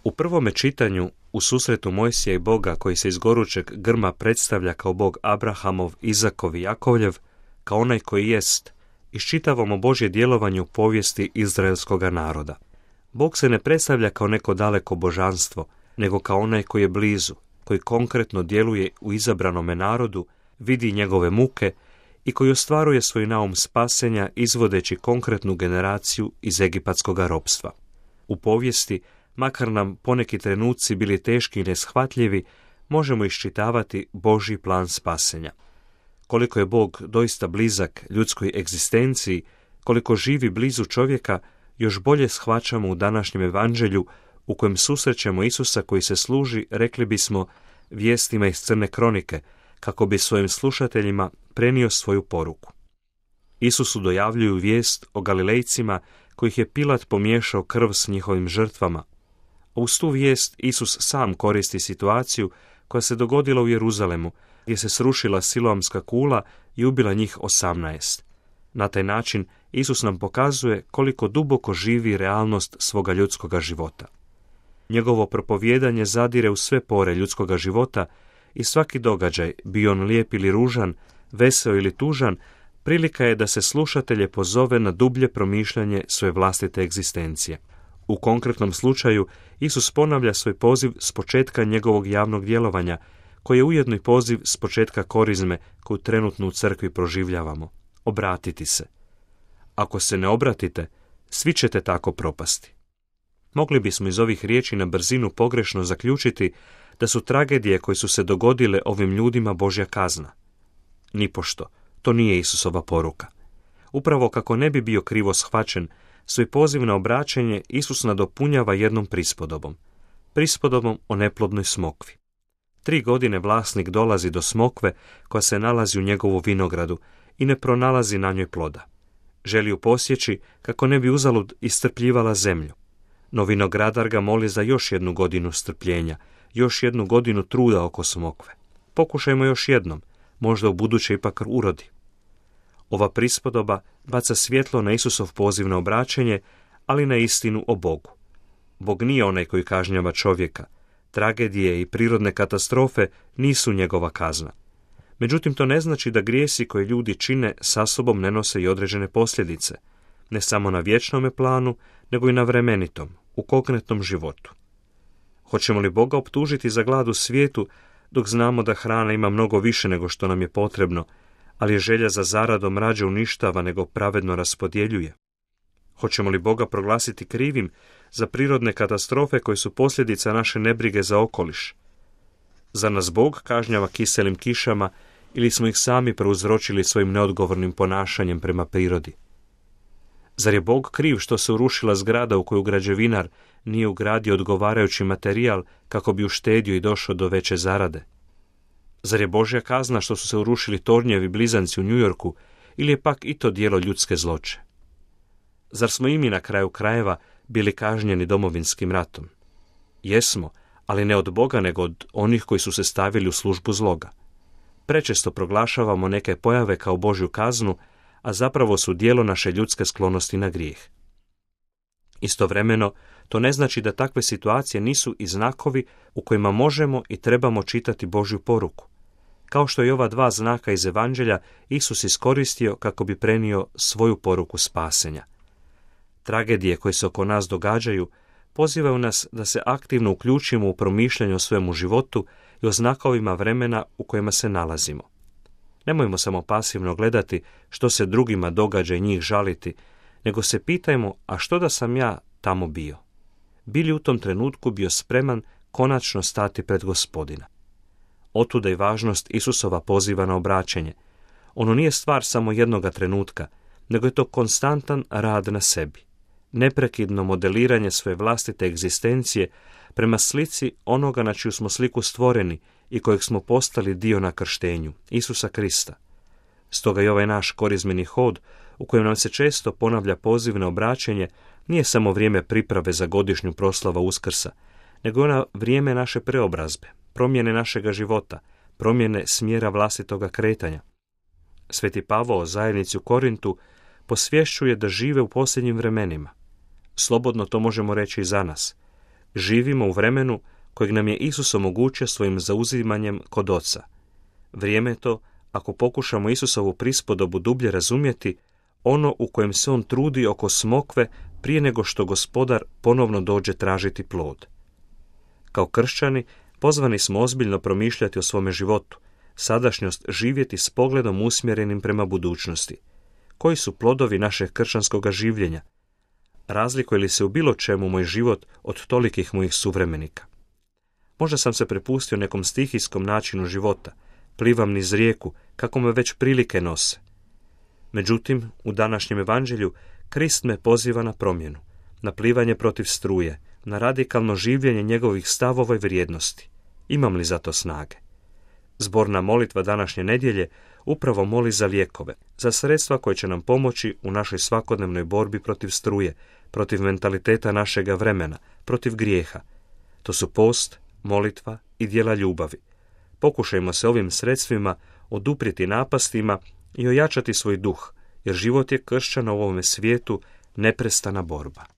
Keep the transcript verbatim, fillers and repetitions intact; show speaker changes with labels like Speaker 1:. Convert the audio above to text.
Speaker 1: U prvome čitanju, u susretu Mojsija i Boga koji se iz gorućeg grma predstavlja kao Bog Abrahamov, Izakov i Jakovljev, kao onaj koji jest, iščitavamo Božje djelovanje u povijesti izraelskoga naroda. Bog se ne predstavlja kao neko daleko božanstvo, nego kao onaj koji je blizu, koji konkretno djeluje u izabranome narodu, vidi njegove muke i koji ostvaruje svoj naum spasenja izvodeći konkretnu generaciju iz egipatskoga ropstva. U povijesti, makar nam poneki trenuci bili teški i neshvatljivi, možemo iščitavati Božji plan spasenja. Koliko je Bog doista blizak ljudskoj egzistenciji, koliko živi blizu čovjeka, još bolje shvaćamo u današnjem evanđelju u kojem susrećemo Isusa koji se služi, rekli bismo, vijestima iz crne kronike, kako bi svojim slušateljima prenio svoju poruku. Isusu dojavljuju vijest o Galilejcima kojih je Pilat pomiješao krv s njihovim žrtvama. A uz tu vijest Isus sam koristi situaciju koja se dogodila u Jeruzalemu, gdje se srušila siloamska kula i ubila njih osamnaest. Na taj način Isus nam pokazuje koliko duboko živi realnost svoga ljudskoga života. Njegovo propovijedanje zadire u sve pore ljudskoga života i svaki događaj, bio on lijep ili ružan, veseo ili tužan, prilika je da se slušatelje pozove na dublje promišljanje svoje vlastite egzistencije. U konkretnom slučaju, Isus ponavlja svoj poziv s početka njegovog javnog djelovanja, koji je ujedno i poziv s početka korizme koju trenutno u crkvi proživljavamo. Obratiti se. Ako se ne obratite, svi ćete tako propasti. Mogli bismo iz ovih riječi na brzinu pogrešno zaključiti da su tragedije koje su se dogodile ovim ljudima Božja kazna. Nipošto, to nije Isusova poruka. Upravo kako ne bi bio krivo shvaćen, svoj poziv na obraćanje Isus nadopunjava jednom prispodobom. Prispodobom o neplodnoj smokvi. Tri godine vlasnik dolazi do smokve koja se nalazi u njegovu vinogradu i ne pronalazi na njoj ploda. Želi ju posjeći kako ne bi uzalud iscrpljivala zemlju. No vinogradar ga moli za još jednu godinu strpljenja, još jednu godinu truda oko smokve. Pokušajmo još jednom, možda u buduće ipak urodi. Ova prispodoba baca svjetlo na Isusov poziv na obraćanje, ali na istinu o Bogu. Bog nije onaj koji kažnjava čovjeka. Tragedije i prirodne katastrofe nisu njegova kazna. Međutim, to ne znači da grijesi koje ljudi čine sa sobom ne nose i određene posljedice, ne samo na vječnome planu, nego i na vremenitom, u konkretnom životu. Hoćemo li Boga optužiti za glad u svijetu, dok znamo da hrana ima mnogo više nego što nam je potrebno, ali je želja za zaradom rađe uništava nego pravedno raspodjeljuje? Hoćemo li Boga proglasiti krivim za prirodne katastrofe koje su posljedica naše nebrige za okoliš? Za nas Bog kažnjava kiselim kišama ili smo ih sami prouzročili svojim neodgovornim ponašanjem prema prirodi? Zar je Bog kriv što se urušila zgrada u koju građevinar nije ugradio odgovarajući materijal kako bi uštedio i došao do veće zarade? Zar je Božja kazna što su se urušili tornjevi blizanci u New Yorku ili je pak i to djelo ljudske zloće? Zar smo i mi na kraju krajeva bili kažnjeni domovinskim ratom? Jesmo, ali ne od Boga nego od onih koji su se stavili u službu zloga. Prečesto proglašavamo neke pojave kao Božju kaznu, a zapravo su djelo naše ljudske sklonosti na grijeh. Istovremeno, to ne znači da takve situacije nisu i znakovi u kojima možemo i trebamo čitati Božju poruku. Kao što i ova dva znaka iz Evanđelja Isus iskoristio kako bi prenio svoju poruku spasenja. Tragedije koje se oko nas događaju pozivaju nas da se aktivno uključimo u promišljanje o svojemu životu i o znakovima vremena u kojima se nalazimo. Nemojmo samo pasivno gledati što se drugima događa i njih žaliti, nego se pitajmo, a što da sam ja tamo bio? Bili u tom trenutku bio spreman konačno stati pred Gospodina? Otuda i važnost Isusova poziva na obraćanje. Ono nije stvar samo jednoga trenutka, nego je to konstantan rad na sebi. Neprekidno modeliranje svoje vlastite egzistencije prema slici onoga na čiju smo sliku stvoreni i kojeg smo postali dio na krštenju, Isusa Krista. Stoga i ovaj naš korizmeni hod, u kojem nam se često ponavlja poziv na obraćanje, nije samo vrijeme priprave za godišnju proslavu Uskrsa, nego ona vrijeme naše preobrazbe, promjene našega života, promjene smjera vlastitoga kretanja. Sveti Pavao zajednici u Korintu posvješćuje da žive u posljednjim vremenima. Slobodno to možemo reći i za nas. Živimo u vremenu kojeg nam je Isus omogućio svojim zauzimanjem kod Oca. Vrijeme je to, ako pokušamo Isusovu prispodobu dublje razumjeti, ono u kojem se on trudi oko smokve prije nego što Gospodar ponovno dođe tražiti plod. Kao kršćani, pozvani smo ozbiljno promišljati o svome životu, sadašnjost živjeti s pogledom usmjerenim prema budućnosti. Koji su plodovi našeg kršćanskog življenja? Razlikuje li se u bilo čemu moj život od tolikih mojih suvremenika? Možda sam se prepustio nekom stihijskom načinu života, plivam niz rijeku, kako me već prilike nose. Međutim, u današnjem evanđelju Krist me poziva na promjenu, na plivanje protiv struje, na radikalno življenje njegovih stavova i vrijednosti. Imam li za to snage? Zborna molitva današnje nedjelje upravo moli za lijekove, za sredstva koje će nam pomoći u našoj svakodnevnoj borbi protiv struje, protiv mentaliteta našega vremena, protiv grijeha. To su post, molitva i djela ljubavi. Pokušajmo se ovim sredstvima oduprijeti napastima i ojačati svoj duh, jer život je kršćana u ovome svijetu neprestana borba.